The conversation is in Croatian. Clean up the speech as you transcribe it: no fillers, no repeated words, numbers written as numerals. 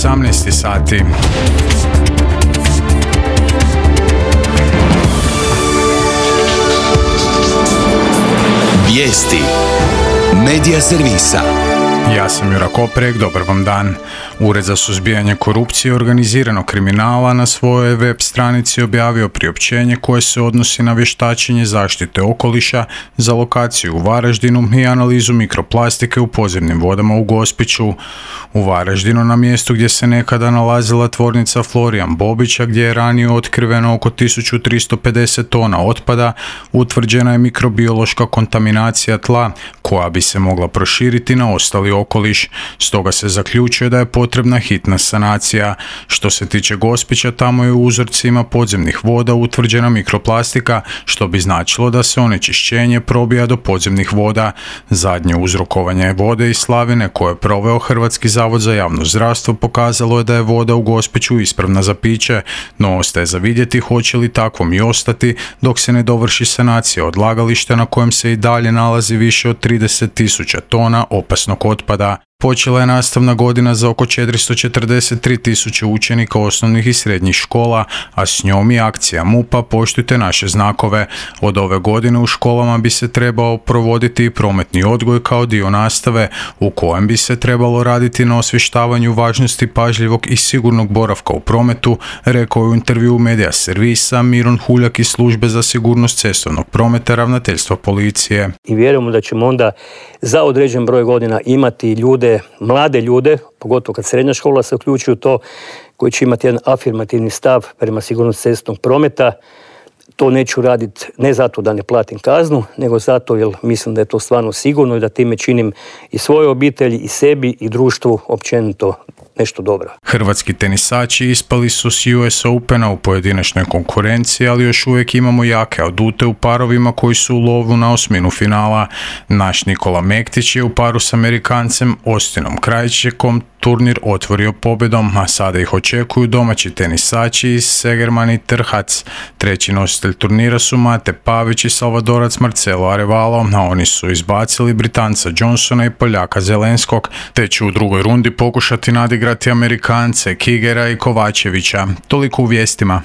18 sati. Vijesti Medija servisa. Ja sam Jura Koprek, dobar vam dan. Ured za suzbijanje korupcije i organiziranog kriminala na svojoj web stranici objavio priopćenje koje se odnosi na vještačenje zaštite okoliša za lokaciju u Varaždinu i analizu mikroplastike u podzemnim vodama u Gospiću. U Varaždinu, na mjestu gdje se nekada nalazila tvornica Florijan Bobića, gdje je ranije otkriveno oko 1350 tona otpada, utvrđena je mikrobiološka kontaminacija tla koja bi se mogla proširiti na ostali okoliš. Stoga se zaključuje da je potrebna hitna sanacija. Što se tiče Gospića, tamo je u uzorcima podzemnih voda utvrđena mikroplastika, što bi značilo da se onečišćenje probija do podzemnih voda. Zadnje uzrokovanje vode iz slavine koje je proveo Hrvatski zavod za javno zdravstvo pokazalo je da je voda u Gospiću ispravna za piće, no ostaje za vidjeti hoće li takvom i ostati dok se ne dovrši sanacija odlagališta na kojem se i dalje nalazi više od 30.000 tona opasnog otpada. Počela je nastavna godina za oko 443.000 učenika osnovnih i srednjih škola, a s njom i akcija MUP-a Poštujte naše znakove. Od ove godine u školama bi se trebao provoditi i prometni odgoj kao dio nastave, u kojem bi se trebalo raditi na osvještavanju važnosti pažljivog i sigurnog boravka u prometu, rekao je u intervjuu Medija servisa Miron Huljak iz Službe za sigurnost cestovnog prometa Ravnateljstva policije. I vjerujemo da ćemo onda za određen broj godina imati ljude, mlade ljude, pogotovo kad srednja škola se uključuju u to, koji će imati jedan afirmativni stav prema sigurnosti cestovnog prometa. To neću raditi ne zato da ne platim kaznu, nego zato jer mislim da je to stvarno sigurno i da time činim i svojoj obitelji, i sebi, i društvu općenito nešto dobro. Hrvatski tenisači ispali su s US Opena u pojedinačnoj konkurenciji, ali još uvijek imamo jake adute u parovima koji su u lovu na osminu finala. Naš Nikola Mektić je u paru s Amerikancem Austinom Krajčikom turnir otvorio pobjedom, a sada ih očekuju domaći tenisači iz Segerman i Trhac. Treći nositelj turnira su Mate Pavić i Salvadorac Marcelo Arevalo, a oni su izbacili Britanca Johnsona i Poljaka Zelenskog, te će u drugoj rundi pokušati nadigrati Amerikance Kigera i Kovačevića. Toliko u vijestima.